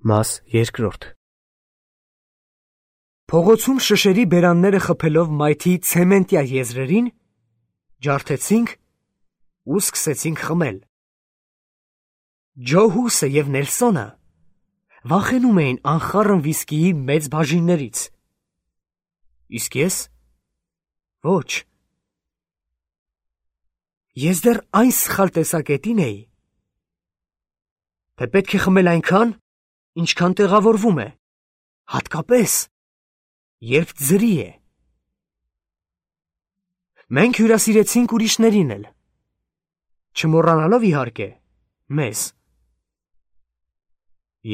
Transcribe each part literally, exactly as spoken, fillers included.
Մաս երկրորդ Փողոցում շշերի բերանները խփելով մայթի ցեմենտյա եզրերին, ջարդեցինք ու սկսեցինք խմել։ Ջո Հուսը և Նելսոնը վախենում էին անխառն վիսկիի մեծ բաժիններից։ Իսկ ես՝ ոչ։ Ես դեռ այն սխալ տեսակետին էի, թե պետք է խմել այնքան, ինչքան տեղավորվում է, հատկապես, երբ ձրի է։ Մենք հյուրասիրեցինք ուրիշներին էլ, չմոռանալով իհարկե մեզ։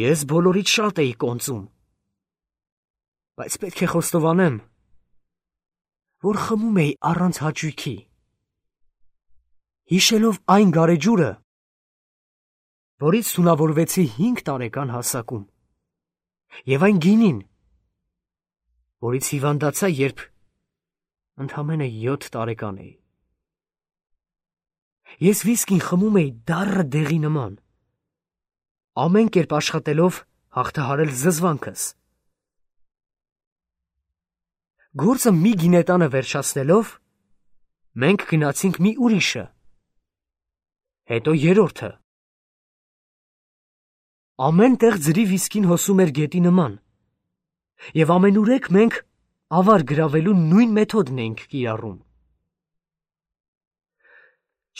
Ես բոլորից շատ էի կոնծում, բայց պետք է խոստովանեմ, որ խմում էի առանց հաճույքի, հիշելով այն գարեջուրը, որից թունավորվեցի հինգ տարեկան հասակում, և այն գինին, որից հիվանդացա, երբ ընդամենը յոթ տարեկան էի։ Ես վիսկին խմում էի դառը դեղի նման, ամեն կերպ աշխատելով հաղթահարել զզվանքս։ Գործը մի գինետանը վերջացնելով, մենք գնացինք մի ուրիշը, հետո երրորդը։ Ամեն տեղ ձրի վիսկին հոսում էր գետի նման, և ամենուրեք մենք ավար գրավելու նույն մեթոդն էինք կիրառում։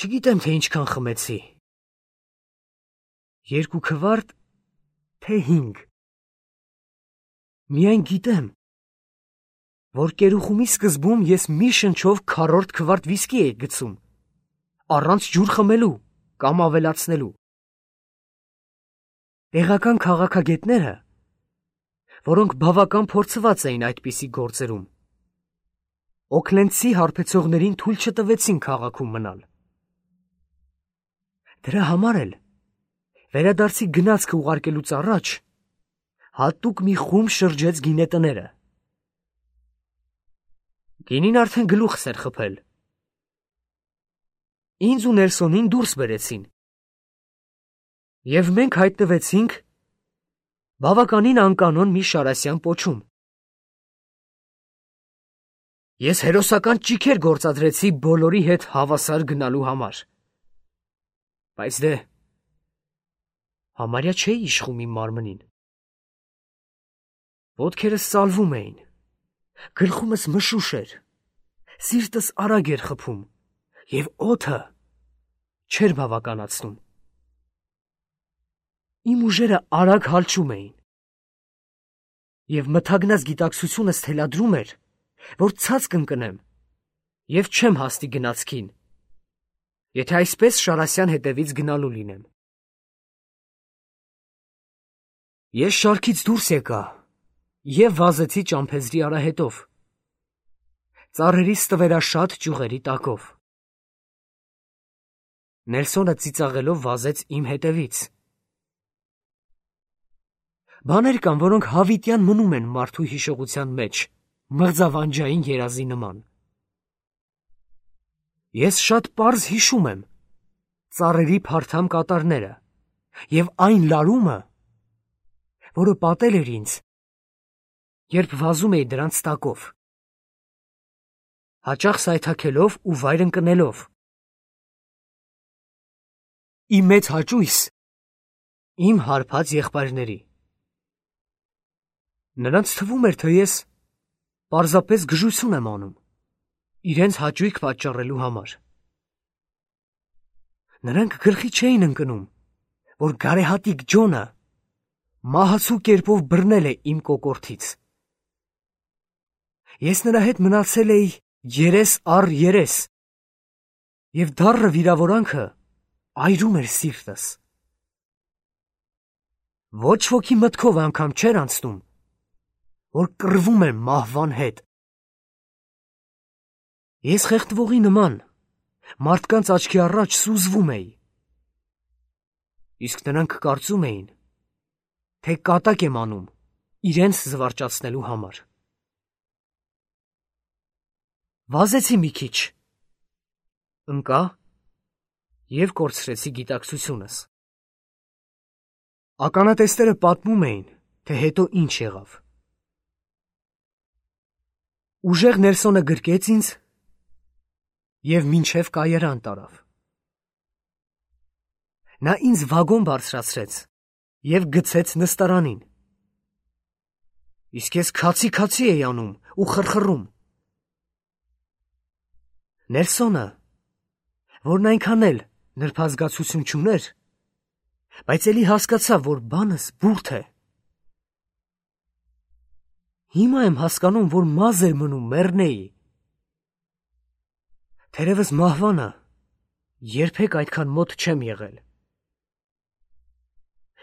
Չգիտեմ, թե ինչքան խմեցի, երկու քվարտ, թե հինգ։ Միայն գիտեմ, որ կերուխումի սկզբում ես մի շնչով քառորդ քվարտ վիսկի էի գցում, առանց ջուր խմելու կամ ավելացնելու։ Տեղական քաղաքագետները, որոնք բավական փորձված էին այդպիսի գործերում, Օքլենդցի հարբեցողներին թույլ չտվեցին քաղաքում մնալ։ Դրա համար էլ վերադարձի գնացքը ուղարկելուց առաջ հատուկ մի խումբ շրջեց գինետները։ Գինին արդեն գլուխս էր խփել։ Ինձ ու Նելսոնին դուրս բերեցին, և մենք հայտնվեցինք բավականին անկանոն մի շարասյան պոչում։ Ես հերոսական ճիգեր գործադրեցի բոլորի հետ հավասար գնալու համար, բայց դե համարյա չէի իշխում իմ մարմնին։ Ոտքերս սալվում էին, գլխումս մշուշ էր, սիրտս արագ էր խփում, և օդը չէր բավականացնում։ Իմ ուժերը արագ հալչում էին, և մթագնած գիտակցությունս թելադրում էր, որ ցած կընկնեմ և չեմ հասնի գնացքին, եթե այսպես շարասյան հետևից գնալու լինեմ։ Ես շարքից դուրս եկա և վազեցի ճամփեզրի արահետով, ծառերի ստվերաշատ ճյուղերի տակով։ Նելսոնը ծիծաղելով վազեց իմ հետևից։ Բաներ կան, որոնք հավիտյան մնում են մարդու հիշողության մեջ, մղձավանջային երազի նման։ Ես շատ պարզ հիշում եմ ծառերի փարթամ կատարները և այն լարումը, որը պատել էր ինձ, երբ վազում էի դրանց տակով, հաճախ սայթաքելով ու վայր ընկնելով։ Ի մեծ հաճույս իմ հարբած եղբայրների։ Նրանց թվում էր, թե ես պարզապես գժություն եմ անում, իրենց հաճույք պատճառելու համար։ Նրանք գլխի չէին ընկնում, որ գարեհատիկ Ջոնը մահացու կերպով բռնել է իմ կոկորդից։ Ես նրա հետ մնացել էի երես առ երես, և դառը վիրավորանքը այրում էր սիրտս։ Ոչ ոքի մտքով անգամ չէր անցնում, որ կռվում եմ մահվան հետ։ Ես խեղդվողի նման մարդկանց աչքի առաջ սուզվում էի, իսկ նրանք կարծում էին, թե կատակ եմ անում իրենց զվարճացնելու համար։ Վազեցի մի քիչ, ընկա և կորցրեցի գիտակցությունս։ Ականատեսները պատմում էին, թե հետո ինչ եղավ։ Ուժեղ Նելսոնը գրկեց ինձ և մինչև կայարան տարավ։ Նա ինձ վագոն բարձրացրեց և գցեց նստարանին։ Իսկ ես քացի-քացի էի անում ու խռխռում։ Նելսոնը, որն այնքան էլ նրբազգացություն չուներ, բայց էլի հասկացավ, որ բանս բուրդ է։ Հիմա եմ հասկանում, որ մազ էր մնում մեռնեի։ Թերևս մահվանը երբեք այդքան մոտ չեմ եղել։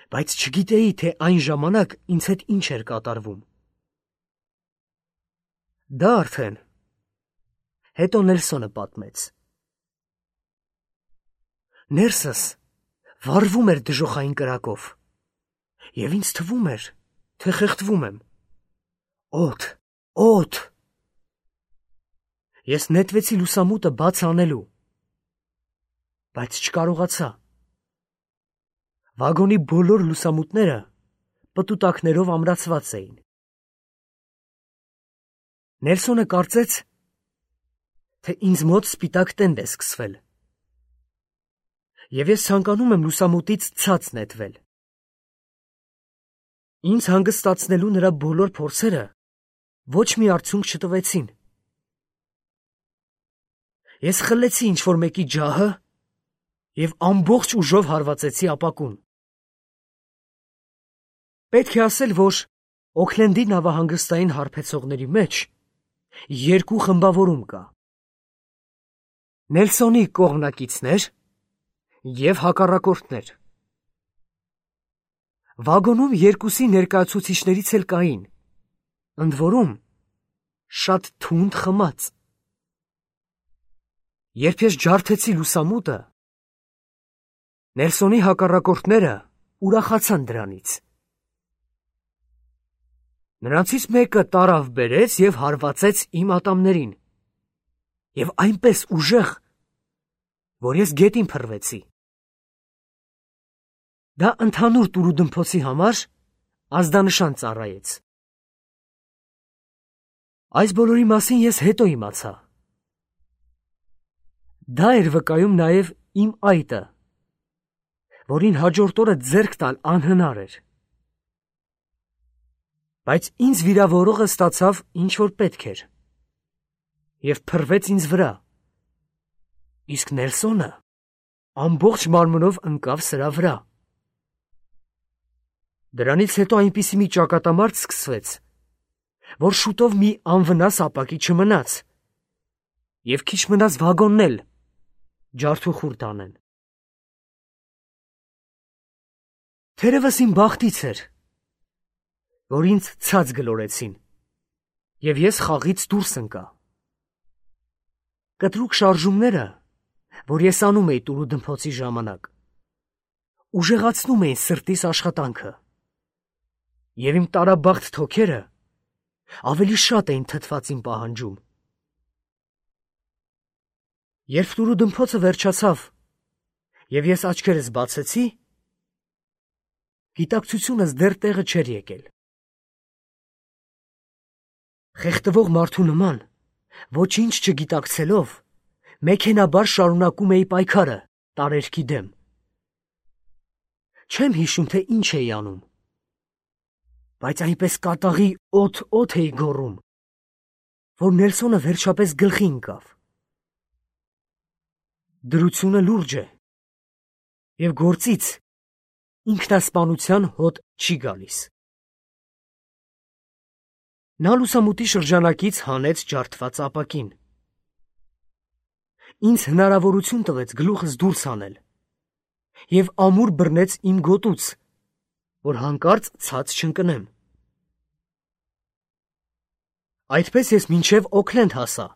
Բայց չգիտեի, թե այն ժամանակ ինձ հետ ինչ էր կատարվում։ Դա արդեն հետո Նելսոնը պատմեց։ Ներսս վառվում էր դժոխային կրակով, և ինձ թվում էր, թե խեղդվում եմ։ Օդ, օդ։ Ես նետվեցի լուսամուտը բաց անելու, բայց չկարողացա։ Վագոնի բոլոր լուսամուտները պտուտակներով ամրացված էին։ Նելսոնը կարծեց, թե ինձ մոտ սպիտակ տենդ է սկսվել, և ես ցանկանում եմ լուսամուտից ցած նետվել։ Ինձ հանգստացնելու նրա բոլոր փորձերը ոչ մի արդյունք չտվեցին։ Ես խլեցի ինչ-որ մեկի ջահը և ամբողջ ուժով հարվածեցի ապակուն։ Պետք է ասել, որ Օքլենդի նավահանգստային հարբեցողների մեջ երկու խմբավորում կա. Նելսոնի կողմնակիցներ և հակառակորդներ։ Վագոնում երկուսի ներկայացուցիչներից էլ կային, ընդ որում շատ թունդ խմած։ Երբ ես ջարդեցի լուսամուտը, Նելսոնի հակառակորդները ուրախացան դրանից։ Նրանցից մեկը տարավ բերեց և հարվածեց իմ ատամներին, և այնպես ուժեղ, որ ես գետին փռվեցի։ Դա ընդհանուր տուրուդմփոցի համար ազդանշան ծառայեց։ Այս բոլորի մասին ես հետո իմացա։ Դա էր վկայում նաև իմ այտը, որին հաջորդ օրը ձեռք տալ անհնար էր։ Բայց ինձ վիրավորողը ստացավ ինչ-որ պետք էր և փռվեց ինձ վրա, իսկ Նելսոնը ամբողջ մարմնով ընկավ սրա վրա։ Դրանից հետո այնպիսի մի ճակատամարտ սկսվեց, որ շուտով մի անվնաս ապակի չմնաց, և քիչ մնաց վագոնն էլ ջարդուխուր տանեն։ Թերևս իմ բախտից էր, որ ինձ ցած գլորեցին, և ես խաղից դուրս ընկա։ Կտրուկ շարժումները, որ ես անում էի տուրուդմփոցի ժամանակ, ուժեղացնում էին սրտիս աշխատանքը, և իմ տարաբախտ թոքերը ավելի շատ էին թթվածին պահանջում։ Երբ տուրուդմփոցը վերջացավ, և ես աչքերս բացեցի, գիտակցությունս դեռ տեղը չէր եկել։ Խեղդվող մարդու նման, ոչինչ չգիտակցելով, մեքենաբար շարունակում էի պայքարը տարերքի դեմ։ Չեմ հիշում, թե ինչ էի անում, բայց այնպես կատաղի օդ-օդ էի գոռում, որ Նելսոնը վերջապես գլխի ընկավ։ Դրությունը լուրջ է, և գործից ինքնասպանության հոտ չի գալիս։ Նա լուսամուտի շրջանակից հանեց ջարդված ապակին։ Ինձ հնարավորություն տվեց գլուխս դուրս հանել և ամուր բռնեց իմ գոտուց, որ հանկարծ ցած չընկնեմ։ Այդպես ես մինչև Օքլենդ հասա,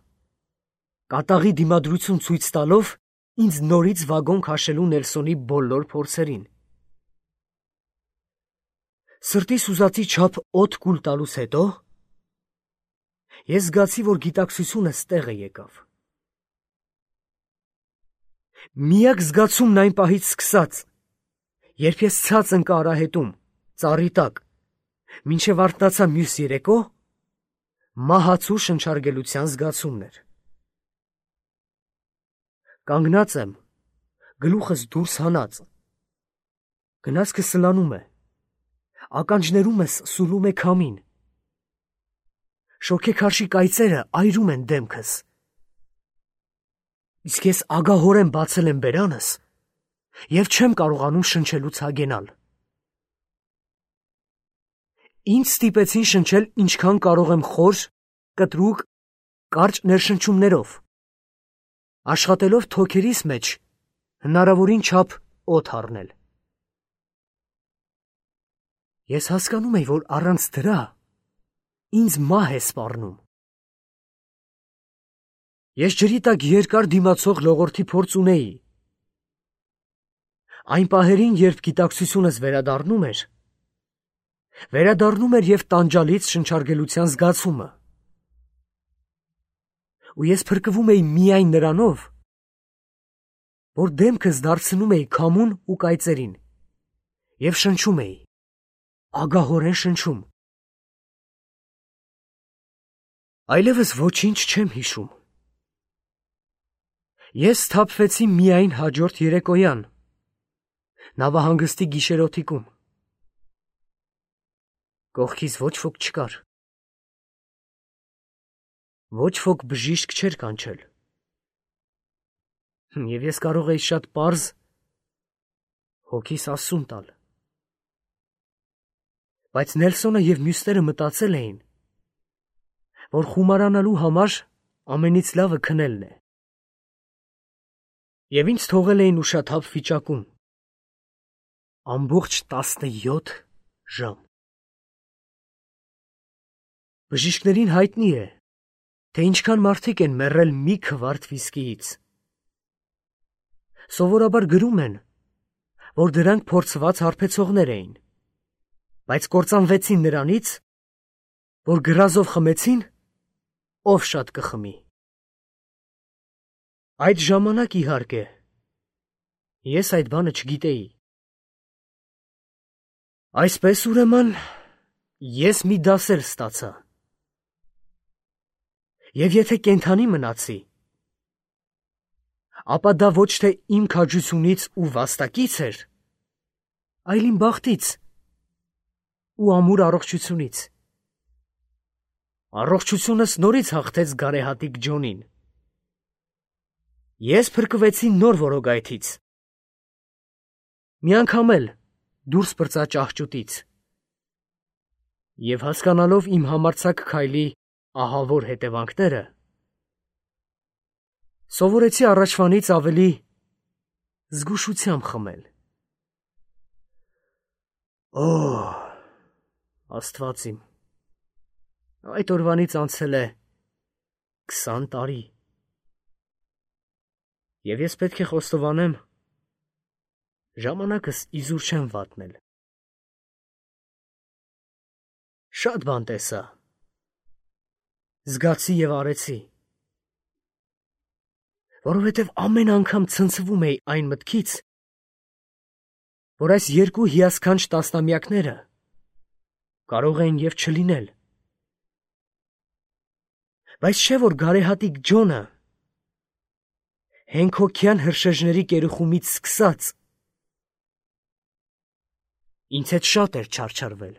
կատաղի դիմադրություն ցույց տալով ինձ նորից վագոն քաշելու Նելսոնի բոլոր փորձերին։ Սրտիս ուզածի չափ օդ կուլ տալուց հետո ես զգացի, որ գիտակցությունս տեղը եկավ։ Միակ զգացումն այն պահից սկսած, Երբ ես ցած ընկա արահետում, ծառի տակ, մինչև արթնացա մյուս երեկո, մահացու շնչարգելության զգացումն էր։ Կանգնած եմ, գլուխս դուրս հանած, գնացքը սլանում է, ականջներումս սուլում է քամին, շոգեքարշի կայծերը այրում են դեմքս, իսկ ես ագահորեն բացել եմ բերանս և չեմ կարողանում շնչելուց հագենալ։ Ինձ ստիպեցին շնչել ինչքան կարող եմ խոր, կտրուկ, կարճ ներշնչումներով, աշխատելով թոքերիս մեջ հնարավորին չափ օդ առնել։ Ես հասկանում էի, որ առանց դրա ինձ մահ է սպառնում։ Ես ջրի տակ երկար դիմացող լողորդի փորձ ունեի։ Այն պահերին, երբ գիտակցությունս վերադառնում էր, վերադառնում էր և տանջալից շնչարգելության զգացումը։ Ու ես փրկվում էի միայն նրանով, որ դեմքս դարձնում էի քամուն ու կայծերին և շնչում էի, ագահորեն շնչում։ Այլևս ոչինչ չեմ հիշում։ Ես սթափվեցի միայն հաջորդ երեկոյան, նավահանգստի գիշերօթիկում։ Կողքիս ոչ ոք չկար։ Ոչ ոք բժիշկ չէր կանչել։ Եվ ես կարող էի շատ պարզ հոգիս ասում տալ։ Բայց Նելսոնը և մյուսները մտածել էին, որ խումարանալու համար ամենից լավը քնելն է։ Եվ ինձ թողել էին ուշաթափ վիճակում։ Ամբողջ տասնյոթ ժամ։ Բժիշկներին հայտնի է, թե ինչքան մարդիկ են մեռել մի քվարդ վիսկիից։ Սովորաբար գրում են, որ դրանք փորձված հարբեցողներ էին, բայց կործանվեցին նրանից, որ գրազով խմեցին, ով շատ կխմի։ Այդ ժամանակ, իհարկե, ես այդ բանը չգիտեի։ Այսպես ուրեմն, ես մի դասեր ստացա։ Եվ եթե կենդանի մնացի, ապա դա ոչ թե իմ քաջությունից ու վաստակից էր, այլ իմ բախտից ու ամուր առողջությունից։ Առողջությունս նորից հաղթեց գարեհատիկ Ջոնին։ Ես փրկվեցի նոր որոգայթից։ Մի անգամ էլ դուրս պրծա ճահճուտից։ Եվ հասկանալով իմ համարձակ քայլի ահավոր հետևանքները, սովորեցի առաջվանից ավելի զգուշությամբ խմել։ Օ, Աստված իմ, այդ օրվանից անցել է քսան տարի։ Եվ ես պետք է խոստովանեմ, ժամանակս իզուր չեմ վատնել։ Շատ բան տեսա, զգացի և արեցի, որովհետև ամեն անգամ ցնցվում էի այն մտքից, որ այս երկու հիասքանչ տասնամյակները կարող էին և չլինել։ Բայց չէ՞ որ գարեհատիկ Ջոնը հենքոքյան հրշեջների կերուխումից սկսած ինձ հետ շատ էր չարչարվել։